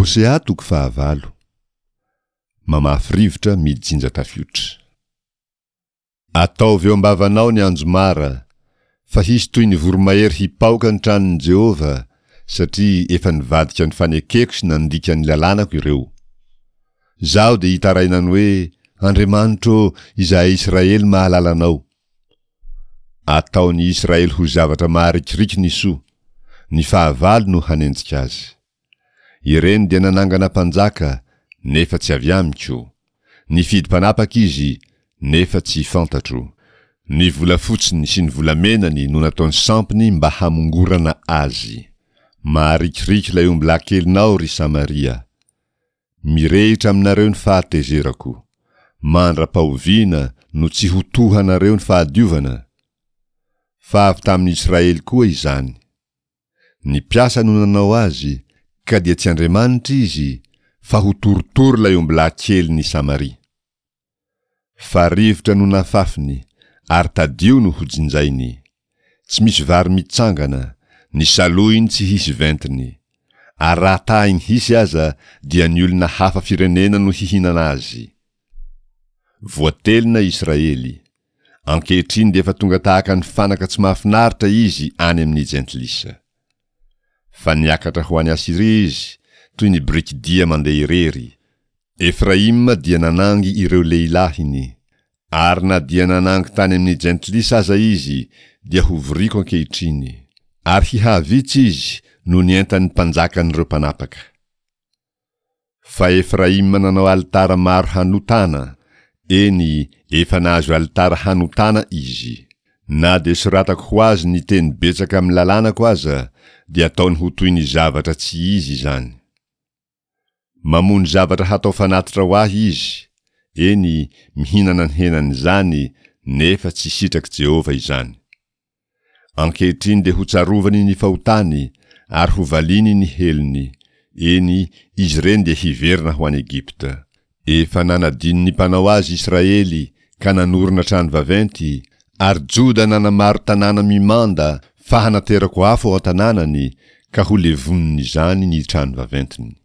Hosea toko fahavalo. Mamafy rivotra mijinja tafiotra. Ataovy eo am-bavanao ny anjomara, fa hisy toy ny voromahery hipaoka ny tranon'i Jehovah, satria efa nivadika ny fanekeko sy nandika ny lalànako ireo. Izaho dia hitaraina ny hoe, Andriamanitro ô, izahay Israely mahalala Anao. Ataon'i Israely ho zavatra maharikoriko ny soa, ny fahavalo no hanenjika azy. Ireny dia nanangana mpanjaka, nefa tsy avy amiko. Nifidy mpanapaka izy, nefa tsy fantatro. Ny volafotsiny sy ny volamenany no nataony sampiny mba hamongorana azy. Maharikoriko ilay ombilahy kelinao, ry Samaria. Mirehitra aminareo ny fahatezerako. Mandra-pahoviana no tsy ho tohanareo ny fahadiovana? Fa avy tamin'i Israely koa izany. Ny mpiasa no nanao azy, ka dia tsy Andriamanitra izy, fa ho torotoro ilay ombilahy kelin' i Samaria. Fa rivotra no nafafiny, ary tadio no hojinjainy. Tsy misy vary mitsangana, ny salohiny tsy hisy ventiny. Ary raha tahiny hisy aza, dia ny olona hafa firenena no hihinana azy. Voatelina Israely. Ankehitriny dia efa tonga tahaka ny fanaka tsy mahafinaritra izy any amin'ny jentilisa. Fa niakatra ho any Asyria izy, toy ny birikidia mandeha irery. Efraima dia nanangy ireo lehilahiny. Ary na dia nanangy tany amin'ny jentilisa aza izy, dia hovoriko ankehitriny. Ary hihavitsy izy noho ny entan'ny mpanjakan'ireo mpanapaka. Fa Efraima nanao alitara maro hanotana, eny, efa nahazo alitara hanotana izy. Na dia soratako ho azy ny teny betsaka amin'ny lalànako aza, dia ataony ho toy ny zavatra tsy izy izany. Mamono zavatra hatao fanatitra ho ahy izy, eny, mihinana ny henan'izany, nefa tsy sitrak'i Jehovah izany. Ankehitriny dia hotsarovany ny fahotany ary hovaliany ny helony, eny, izy ireny dia hiverina ho any Egypta. Efa nanadino ny Mpanao azy Israely ka nanorina trano vaventy, ary Joda nanamaro tanàna mimanda fa hanaterako afo ao an-tanànany ka ho levonin'izany ny trano vaventiny.